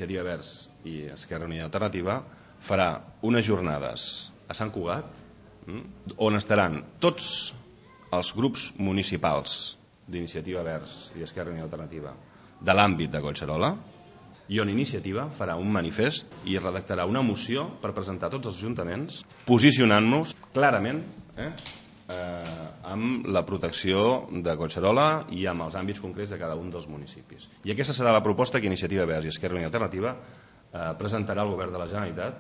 Iniciativa Verds i Esquerra Unida i Alternativa farà unes jornades a Sant Cugat on estaran tots els grups municipals d'Iniciativa Verds i Esquerra Unida i Alternativa de l'àmbit de Collserola, i on Iniciativa farà un manifest i redactarà una moció per presentar a tots els ajuntaments posicionant-nos clarament amb la protecció de Collserola i amb els àmbits concrets de cada un dels municipis. I aquesta serà la proposta que Iniciativa Verds i Esquerra Unida i Alternativa presentarà al Govern de la Generalitat